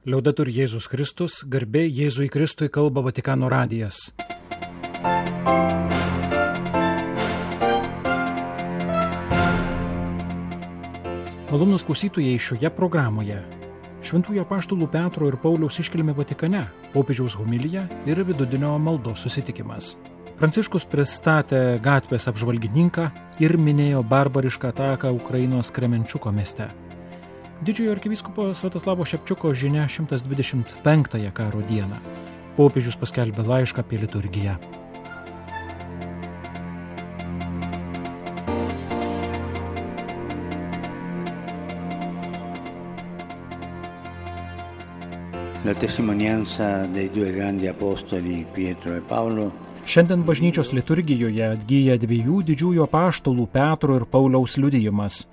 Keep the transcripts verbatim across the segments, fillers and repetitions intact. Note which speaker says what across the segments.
Speaker 1: Liaudetur Jėzus Kristus, garbė Jėzui Kristui, kalba Vatikano radijas. Malonūs klausytojai, šioje programoje Šventųjų apaštalų Petro ir Pauliaus iškilmė Vatikane, popiežiaus homilija ir vidudienio maldos susitikimas. Pranciškus pristatė gatvės apžvalgininką ir minėjo barbarišką ataką Ukrainos Kremenčiuko mieste. Didžiojo arkivyskupo Sviatoslavo Šepčiuko žinia šimtas dvidešimt penktąją karo dieną. Popiežius paskelbė laišką apie liturgiją.
Speaker 2: La testimonianza dei due grandi apostoli Pietro e Paolo.
Speaker 1: Šiandien bažnyčios liturgijoje atgyja dviejų didžiųjų apaštalų Petro ir Pauliaus liudijimas.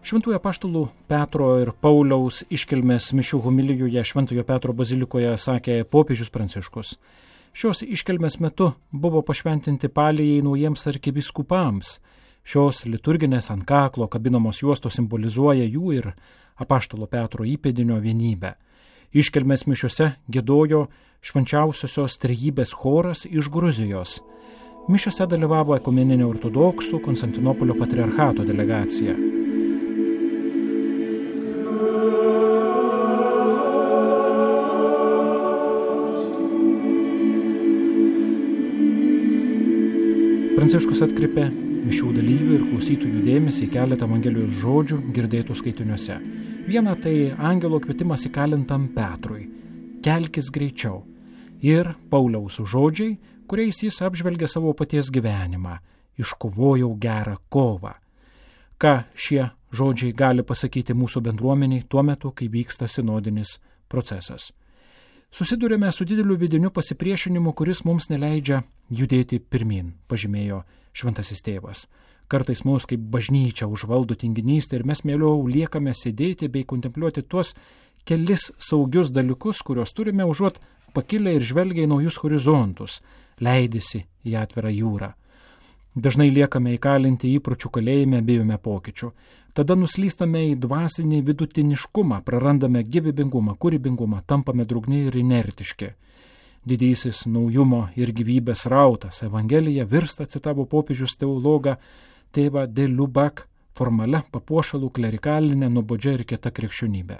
Speaker 1: Šventųjų apaštalų Petro ir Pauliaus iškilmės mišių homilijoje Šventojo Petro bazilikoje sakė popiežius Pranciškus. Šios iškilmės metu buvo pašventinti palijai naujiems arkivyskupams. Šios liturginės ant kaklo kabinamos juostos simbolizuoja jų ir apaštalo Petro įpėdinio vienybę. Iškilmės mišiuose giedojo švenčiausiosios trejybės choras iš Gruzijos. Mišiuose dalyvavo ekumeninė ortodoksų Konstantinopolio patriarchato delegacija. Pranciškus atkreipė mišių dalyvių ir klausytojų dėmesį į keletą Evangelijos žodžių girdėtų skaitiniuose. Viena tai angelo kvietimas įkalintam Petrui – kelkis greičiau. Ir Pauliaus žodžiai, kuriais jis apžvelgia savo paties gyvenimą – iškovojau gerą kovą. Ką šie žodžiai gali pasakyti mūsų bendruomeniai tuo metu, kai vyksta sinodinis procesas? Susidurėme su dideliu vidiniu pasipriešinimu, kuris mums neleidžia judėti pirmin, pažymėjo šventasis tėvas. Kartais mus kaip bažnyčia užvaldo tinginystė ir mes mieliau liekame sėdėti bei kontempliuoti tuos kelis saugius dalykus, kuriuos turime užuot pakilę ir žvelgia į naujus horizontus, leidėsi į atvirą jūrą. Dažnai liekame įkalinti įpročių kalėjime, bijome pokyčių. Tada nuslystame į dvasinį vidutiniškumą, prarandame gyvybingumą, kūrybingumą, tampame drugni ir inertiški. Didysis naujumo ir gyvybės rautas Evangelija virsta, citavo popiežius teologą tėvą de Lubac, formalia papuošalų klerikalinė, nuobodžia ir kieta krikščionybė.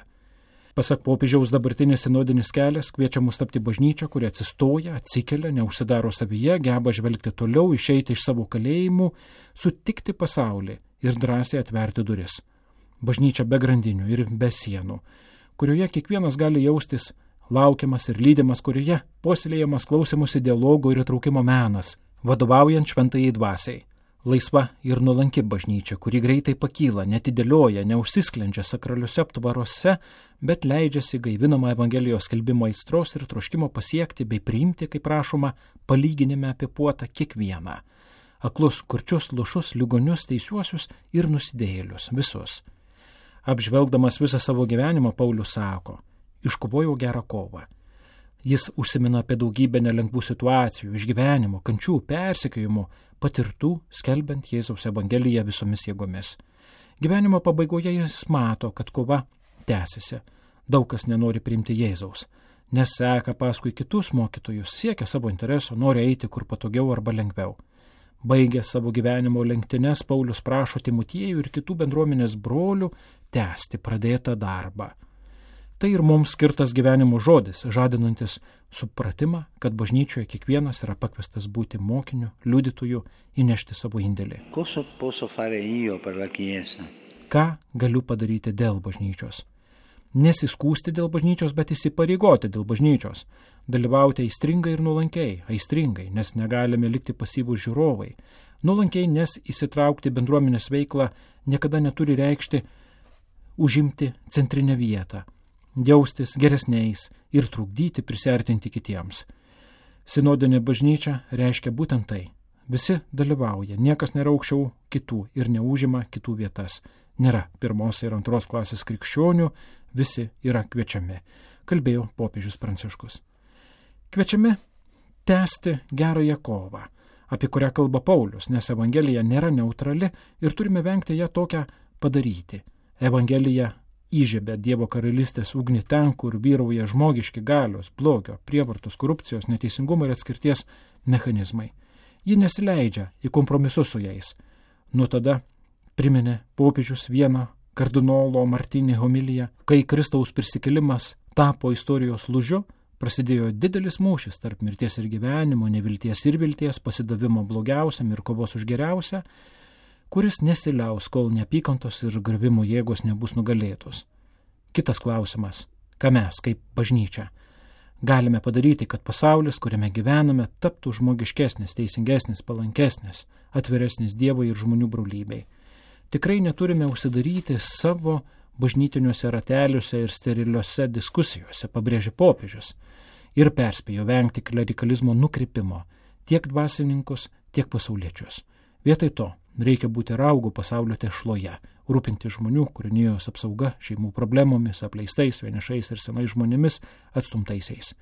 Speaker 1: Pasak popiežiaus, dabartinis sinodinis kelias kviečia mus tapti bažnyčią, kuri atsistoja, atsikelia, neužsidaro savyje, geba žvelgti toliau, išeiti iš savo kalėjimų, sutikti pasaulį ir drąsiai atverti duris. Bažnyčia be grandinių ir be sienų, kurioje kiekvienas gali jaustis laukiamas ir lydimas, kurioje puoselėjamas klausymosi dialogo ir įtraukimo menas, vadovaujant šventajai dvasiai. Laisva ir nuolanki bažnyčia, kuri greitai pakyla, netidėlioja, neužsisklendžia sakraliuose aptvaruose, bet leidžiasi gaivinama Evangelijos skelbimo aistros ir troškimo pasiekti bei priimti, kaip prašoma, palyginime apie puotą kiekvieną. Aklus, kurčius, lušus, ligonius, teisiuosius ir nusidėjėlius, visus. Apžvelgdamas visą savo gyvenimą, Paulius sako, iškovojau gerą kovą. Jis užsimena apie daugybę nelengvų situacijų, išgyvenimų, kančių, persekiojimų, patirtų, skelbiant Jėzaus Evangeliją visomis jėgomis. Gyvenimo pabaigoje jis mato, kad kova tęsiasi. Daug kas nenori priimti Jėzaus, nes seka paskui kitus mokytojus, siekia savo intereso, nori eiti kur patogiau arba lengviau. Baigęs savo gyvenimo lenktynes, Paulius prašo Timotiejų ir kitų bendruomenės brolių tęsti pradėtą darbą. Tai ir mums skirtas gyvenimo žodis, žadinantis supratimą, kad bažnyčioje kiekvienas yra pakviestas būti mokiniu, liudytoju, įnešti savo indėlį. Ką galiu padaryti dėl bažnyčios? Nesiskūsti dėl bažnyčios, bet įsipareigoti dėl bažnyčios. Dalyvauti aistringai ir nuolankiai, aistringai, nes negalime likti pasyvūs žiūrovai. Nuolankiai, nes įsitraukti bendruomenės veiklą niekada neturi reikšti užimti centrinę vietą, jaustis geresniais ir trukdyti prisiartinti kitiems. Sinodinė bažnyčia reiškia būtent tai. Visi dalyvauja, niekas nėra aukščiau kitų ir neužima kitų vietas. Nėra pirmos ir antros klasės krikščionių, visi yra kviečiami, kalbėjo popiežius Pranciškus. Kviečiami tęsti gerąją kovą, apie kurią kalba Paulius, nes Evangelija nėra neutrali ir turime vengti ją tokią padaryti. Evangelija įžiebia Dievo karalystės ugnį ten, kur vyrauja žmogiški galios, blogio, prievartos, korupcijos, neteisingumo ir atskirties mechanizmai. Ji nesileidžia į kompromisus su jais. Nuo tada priminė popiežius vieną kardinolo Martinį homiliją, kai Kristaus prisikėlimas tapo istorijos lūžiu, prasidėjo didelis mūšis tarp mirties ir gyvenimo, nevilties ir vilties, pasidavimo blogiausiam ir kovos už geriausią, kuris nesiliaus, kol neapykantos ir gravimo jėgos nebus nugalėtos. Kitas klausimas, ką mes, kaip bažnyčia, galime padaryti, kad pasaulis, kuriame gyvename, taptų žmogiškesnis, teisingesnis, palankesnis, atviresnis Dievui ir žmonių brolybei. Tikrai neturime užsidaryti savo bažnytiniuose rateliuose ir steriliuose diskusijose, pabrėžė popiežius, ir perspėjo vengti klerikalizmo nukrypimo tiek dvasininkus, tiek pasauliečius. Vietoj to reikia būti raugų pasaulio tešloje, rūpinti žmonių, kūrinijos apsauga, šeimų problemomis, apleistais, vienišais ir senais žmonėmis, atstumtaisiais.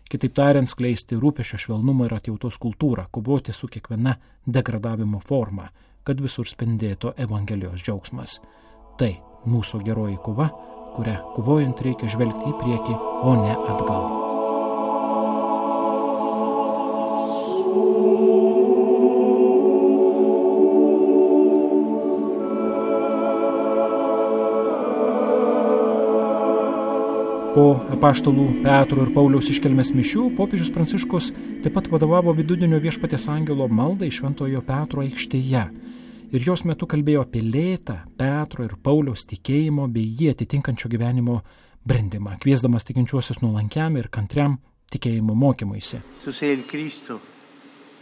Speaker 1: Kitaip tariant, skleisti rūpesčio švelnumo ir atjautos kultūrą, kovoti su kiekviena degradavimo forma, kad visur spindėtų Evangelijos džiaugsmas. Tai mūsų geroji kova, kurią kovojant reikia žvelgti į priekį, o ne atgal. Po apaštalų Petro ir Pauliaus iškelmės mišių popiežius Pranciškus taip pat vadovavo vidudienio Viešpaties angelo maldai Šventojo Petro aikštėje. Ir jos metu kalbėjo apie lėtą Petro ir Pauliaus tikėjimo bei jį atitinkančio gyvenimo brendimą, kviesdamas tikinčiuosius nuolankiam ir kantriam tikėjimo mokymuisi.
Speaker 2: Tu sei il Cristo,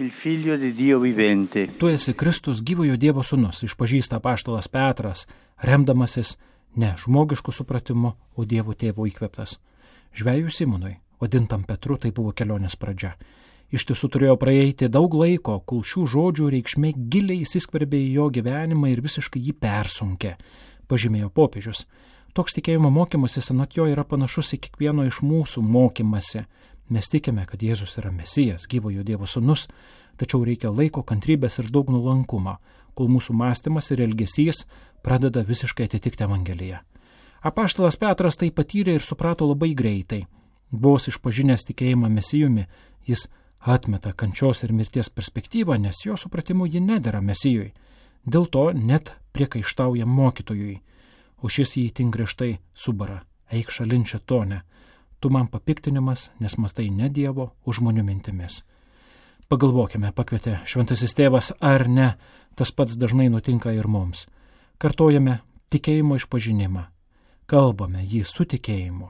Speaker 2: il figlio di Dio vivente.
Speaker 1: Tu esi Kristus, gyvojo Dievo sūnus, išpažįsta apaštalas Petras, remdamasis ne žmogišku supratimu, o Dievo tėvo įkvėptas. Žvejui Simonui, vadintam Petru, tai buvo kelionės pradžia. Iš tiesų turėjo praeiti daug laiko, kol šių žodžių reikšmė giliai įsiskverbė į jo gyvenimą ir visiškai jį persunkė, pažymėjo popiežius. Toks tikėjimo mokymasis anot jo yra panašus į kiekvieno iš mūsų mokymasi. Mes tikime, kad Jėzus yra Mesijas, gyvojo Dievo sūnus, tačiau reikia laiko, kantrybės ir daug nuolankumo, kol mūsų mąstymas ir elgesys pradeda visiškai atitikti Evangeliją. Apaštalas Petras tai patyrė ir suprato labai greitai. Vos išpažinęs tikėjimą Mesijumi, jis atmeta kančios ir mirties perspektyvą, nes jo supratimu ji nedera Mesijui. Dėl to net priekaištauja mokytojui, o šis jį itin griežtai subara: eik šalin šėtone, tu man papiktinimas, nes mąstai ne Dievo, o žmonių mintimis. Pagalvokime, pakvietė šventasis tėvas, ar ne, tas pats dažnai nutinka ir mums. Kartojame tikėjimo išpažinimą, kalbame jį su tikėjimu,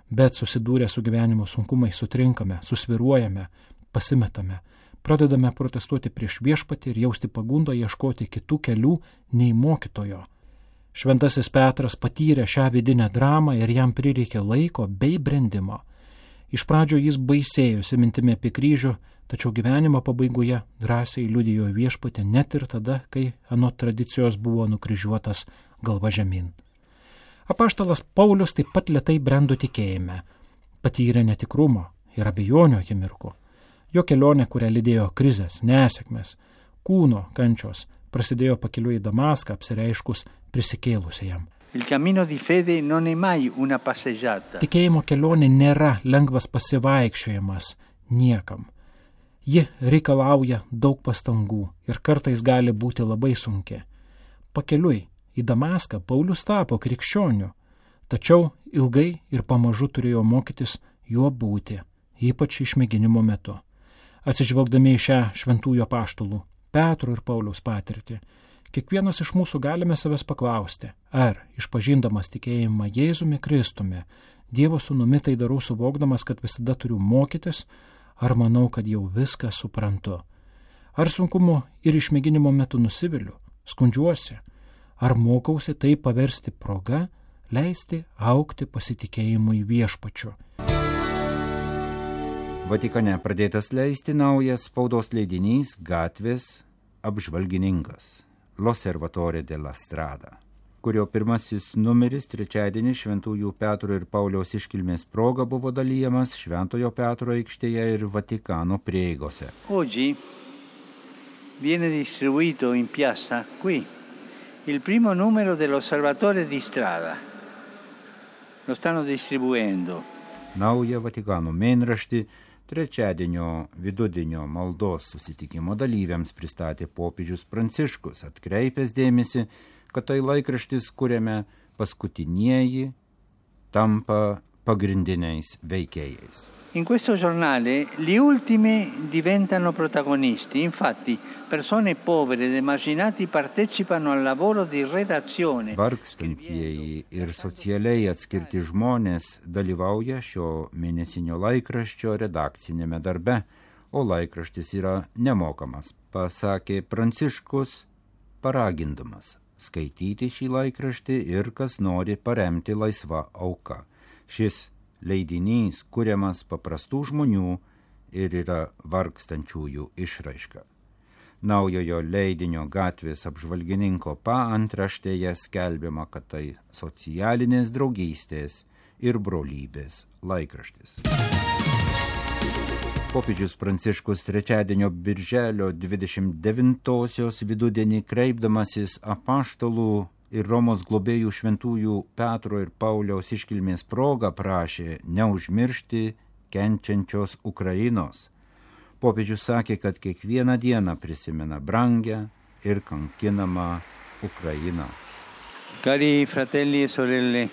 Speaker 1: bet susidūrę su gyvenimo sunkumais sutrinkame, susviruojame, pasimetame, pradedame protestuoti prieš Viešpatį ir jausti pagundą ieškoti kitų kelių nei mokytojo. Šventasis Petras patyrė šią vidinę dramą ir jam prireikė laiko bei brendimo. Iš pradžio jis baisėjosi mintimi apie kryžių, tačiau gyvenimo pabaigoje drąsiai liudijo Viešpatį net ir tada, kai anot tradicijos buvo nukryžiuotas galva žemyn. Apaštalas Paulius taip pat lėtai brendo tikėjime, patyrė netikrumo ir abejonių akimirkų. Jo kelionė, kurią lydėjo krizės, nesėkmės, kūno kančios, prasidėjo pakeliui į Damaską, apsireiškus prisikėlusiajam.
Speaker 2: Il cammino di fede non è mai una passeggiata.
Speaker 1: Tikėjimo kelionė nėra lengvas pasivaikščiojimas niekam. Ji reikalauja daug pastangų ir kartais gali būti labai sunki. Pakeliui į Damaską Paulius tapo krikščioniu, tačiau ilgai ir pamažu turėjo mokytis juo būti, ypač išmėginimo metu. Atsižvelgdami į šią šventųjų apaštalų Petro ir Pauliaus patirtį, kiekvienas iš mūsų galime savęs paklausti, ar išpažindamas tikėjimą Jėzumi Kristumi, Dievo sūnumi tai darau suvokdamas, kad visada turiu mokytis, ar manau, kad jau viską suprantu. Ar sunkumu ir išmėginimo metu nusiviliu, skundžiuosi, ar mokausi tai paversti proga, leisti augti pasitikėjimui Viešpačiu.
Speaker 3: Vatikane pradėtas leisti naujas spaudos leidinys Gatvės apžvalgininkas L'Osservatore della Strada, kurio pirmasis numeris trečiadienį Šventųjų Petro ir Pauliaus iškilmės proga buvo dalyjamas Šventojo Petro aikštėje ir Vatikano prieigose.
Speaker 2: Oggi viene distribuito in piazza qui il primo numero dell'Osservatore di Strada, lo stanno distribuendo.
Speaker 3: Naują Vatikano mėnraštį trečiadienio vidudienio maldos susitikimo dalyviams pristatė popiežius Pranciškus, atkreipęs dėmesį, kad tai laikraštis, kuriame paskutinieji tampa pagrindiniais veikėjais.
Speaker 2: In questo giornale gli ultimi diventano protagonisti, infatti persone povere ed emarginati partecipano al lavoro di redazione.
Speaker 3: Vargstantieji ir socialiai atskirti žmonės dalyvauja šio mėnesinio laikraščio redakcinėme darbe, o laikraštis yra nemokamas, pasakė Pranciškus, paragindamas skaityti šį laikraštį ir kas nori paremti laisvą auką. Šis leidinys kuriamas paprastų žmonių ir yra vargstančiųjų išraiška. Naujojo leidinio Gatvės apžvalgininko paantraštėje skelbiama, kad tai socialinės draugystės ir brolybės laikraštis. Popiežius Pranciškus trečiadienio birželio dvidešimt devintosios vidudienį kreipdamasis apaštalų ir Romos globėjų šventųjų Petro ir Pauliaus iškilmės proga prašė neužmiršti kenčiančios Ukrainos. Popiežius sakė, kad kiekvieną dieną prisimena brangią ir kankinamą Ukrainą.
Speaker 2: Cari fratelli e sorelle,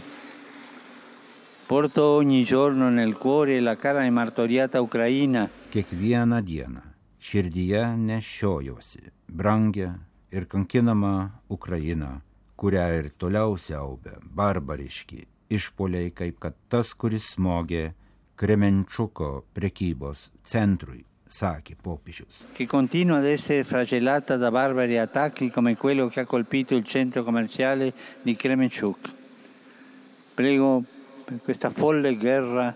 Speaker 2: porto ogni giorno nel cuore la cara e martoriata Ucraina.
Speaker 3: Kiekvieną dieną širdyje nešiojosi brangią ir kankinamą Ukrainą, kurią ir toliau siaubia barbariški išpoliai, kaip kad tas, kuris smogė Kremenčuko prekybos centrui, sakė popiežius.
Speaker 2: Che continua ad essere flagellata da barbari attacchi come quello che ha colpito il centro commerciale di Kremenchuk. Prego per questa folle guerra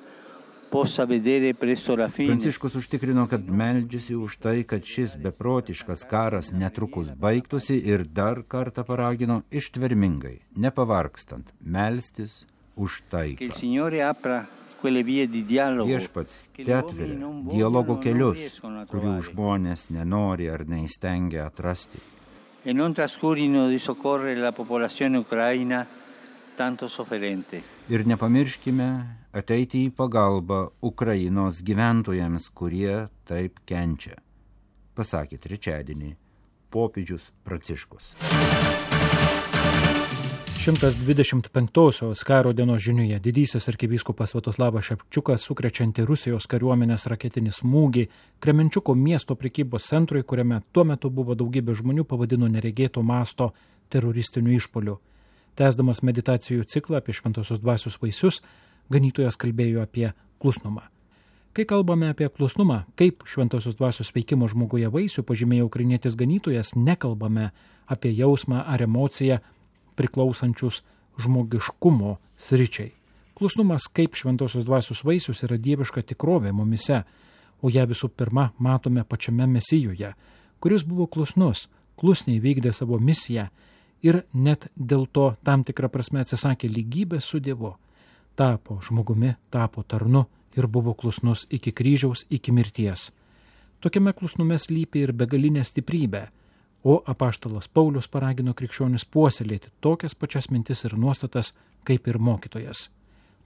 Speaker 2: possa vedere presto la fine.
Speaker 3: Pranciškus užtikrino, kad meldžiasi už tai, kad šis beprotiškas karas netrukus baigtųsi ir dar kartą paragino ištvermingai, nepavargstant, melstis už taiką. Viešpats atveria dialogo kelius, kurių žmonės nenori ar neįstengia atrasti.
Speaker 2: E non trascurino di soccorrere la popolazione ucraina tanto sofferente.
Speaker 3: Ir nepamirškime ateiti į pagalbą Ukrainos gyventojams, kurie taip kenčia, pasakė trečiadienį popiežius Pranciškus.
Speaker 1: šimtas dvidešimt penktosios karo dienos žiniuje didysis arkivyskupas Sviatoslavas Ševčiukas sukrečianti Rusijos kariuomenės raketinį smūgį Kremenčiuko miesto prekybos centrui, kuriame tuo metu buvo daugybė žmonių, pavadino neregėto masto teroristiniu išpoliu. Tęsdamas meditacijų ciklą apie šventosios dvasios vaisius, ganytojas kalbėjo apie klusnumą. Kai kalbame apie klusnumą, kaip šventosios dvasios veikimo žmoguje vaisių, pažymėjo ukrainietis ganytojas, nekalbame apie jausmą ar emociją priklausančius žmogiškumo sričiai. Klusnumas kaip šventosios dvasios vaisius yra dieviška tikrovė mumise, o ją visų pirma matome pačiame Mesijoje, kuris buvo klusnus, klusniai vykdė savo misiją ir net dėl to tam tikrą prasme atsisakė lygybės su Dievu. Tapo žmogumi, tapo tarnu ir buvo klusnus iki kryžiaus, iki mirties. Tokiame klusnume slypi ir begalinė stiprybė, o apaštalas Paulius paragino krikščionis puoselėti tokias pačias mintis ir nuostatas kaip ir mokytojas.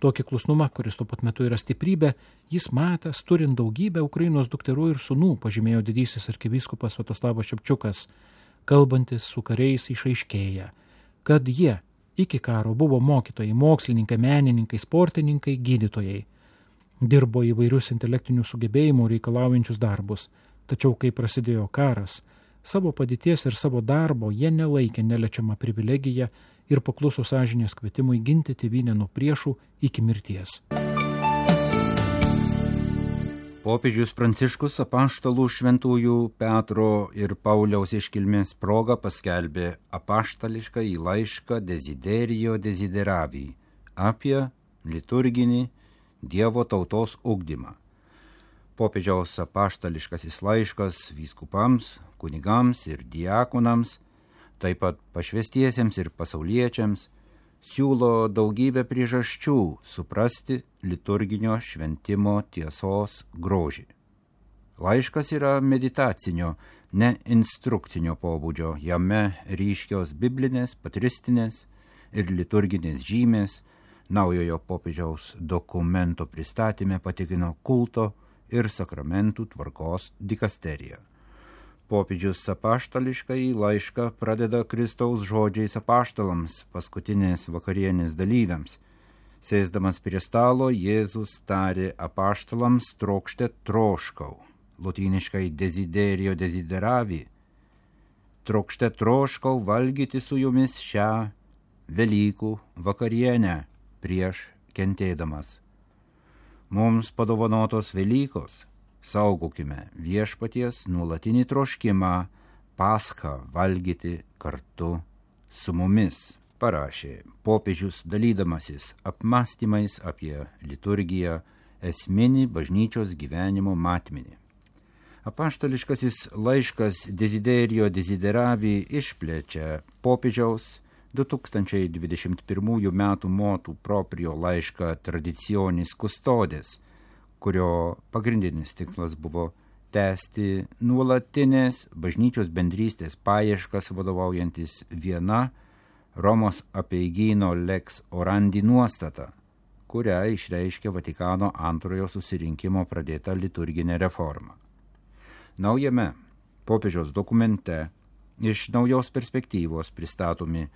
Speaker 1: Tokį klusnumą, kuris tuo pat metu yra stiprybė, jis matęs turint daugybę Ukrainos dukterų ir sūnų, pažymėjo didysis arkivyskupas Sviatoslavas Ševčiukas, kalbantis su kariais išaiškėja, kad jie iki karo buvo mokytojai, mokslininkai, menininkai, sportininkai, gydytojai. Dirbo įvairius intelektinių sugebėjimų reikalaujančius darbus, tačiau kai prasidėjo karas, savo padėties ir savo darbo jie nelaikė neliečiamą privilegiją ir pakluso sąžinės kvietimui ginti tėvynę nuo priešų iki mirties.
Speaker 3: Popiežius Pranciškus apaštalų šventųjų Petro ir Pauliaus iškilmės proga paskelbė apaštališką į laišką Desiderijo Desideravi apie liturginį Dievo tautos ugdymą. Popiežiaus apaštališkasis laiškas vyskupams, kunigams ir diakonams, taip pat pašvestiesiems ir pasauliečiams, siūlo daugybę priežasčių suprasti liturginio šventimo tiesos grožį. Laiškas yra meditacinio, ne instrukcinio pobūdžio, jame ryškios biblinės, patristinės ir liturginės žymės, Naujojo popiežiaus dokumento pristatyme patikino kulto ir sakramentų tvarkos dikasterija. Popiežius apaštališkai laišką pradeda Kristaus žodžiais apaštalams, paskutinės vakarienės dalyviams. Sėsdamas prie stalo, Jėzus tarė apaštalams trokšte troškau, lotyniškai desiderio desideravi. Trokšte troškau valgyti su jumis šią Velykų vakarienę prieš kentėdamas. Mums padovanotos Velykos, saugokime viešpaties nuolatinį troškimą Paschą valgyti kartu su mumis, parašė popiežius dalydamasis apmąstymais apie liturgiją, esminį bažnyčios gyvenimo matmenį. Apaštališkasis laiškas Desiderio desideravi išplečia popiežiaus du tūkstančiai dvidešimt pirmųjų metų motu proprio laišką Traditionis Custodes, kurio pagrindinis tikslas buvo tęsti nuolatinės bažnyčios bendrystės paieškas vadovaujantis viena Romos apeigyno Lex Orandi nuostata, kurią išreiškė Vatikano antrojo susirinkimo pradėta liturginė reforma. Naujame popiežiaus dokumente iš naujos perspektyvos pristatomi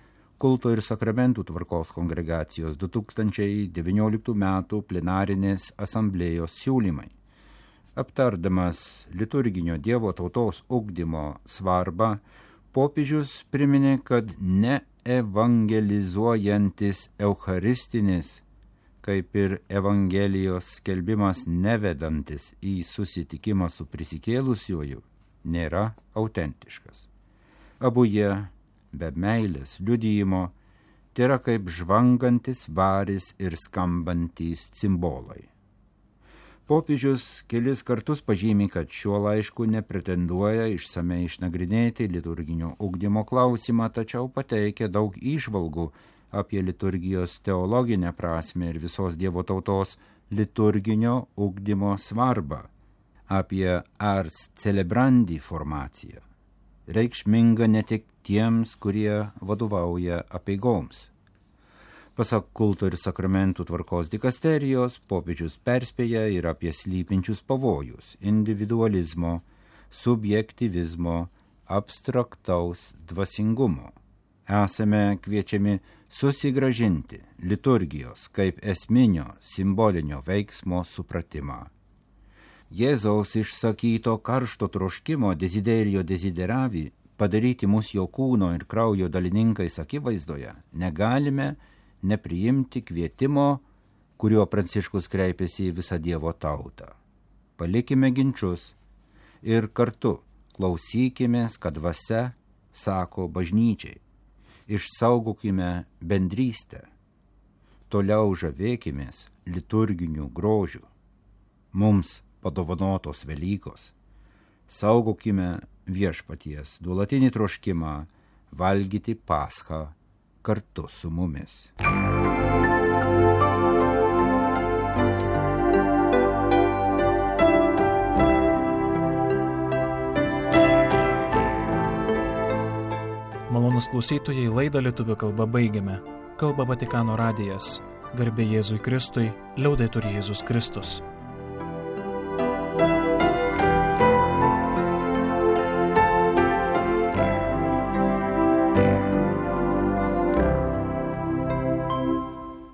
Speaker 3: kulto ir sakramentų tvarkos kongregacijos du tūkstančiai devynioliktų metų plenarinės asamblėjos siūlymai. Aptardamas liturginio Dievo tautos ugdymo svarbą, popiežius priminė, kad neevangelizuojantis eucharistinis, kaip ir Evangelijos skelbimas nevedantis į susitikimą su prisikėlusiuoju, nėra autentiškas. Abu jie be meilės liudijimo tėra kaip žvangantis varis ir skambantys cimbolai. Popiežius kelis kartus pažymi, kad šiuo laišku nepretenduoja išsamei išnagrinėti liturginio ugdymo klausimą, tačiau pateikia daug įžvalgų apie liturgijos teologinę prasmę ir visos Dievo tautos liturginio ugdymo svarbą, apie ars celebrandi formaciją, reikšminga ne tik tiems, kurie vadovauja apeigoms. Pasak kulto ir sakramentų tvarkos dikasterijos, popiežius perspėja ir apie slypinčius pavojus individualizmo, subjektyvizmo, abstraktaus dvasingumo. Esame kviečiami susigrąžinti liturgijos kaip esminio simbolinio veiksmo supratimą. Jėzaus išsakyto karšto troškimo desiderio desideravi padaryti mus jo kūno ir kraujo dalininkais akivaizdoje negalime nepriimti kvietimo, kuriuo Pranciškus kreipėsi į visą Dievo tautą. Palikime ginčius ir kartu klausykimės, kad dvasia sako bažnyčiai. Išsaugokime bendrystę, toliau žavėkimės liturginiu grožiu. Mums padovanotos Velykos. Saugokime viešpaties nuolatinį troškimą valgyti Paschą kartu su mumis.
Speaker 1: Malonūs klausytojai, laidą lietuvių kalba baigiame. Kalba Vatikano radijas. Garbė Jėzui Kristui, liaudetur Jėzus Kristus.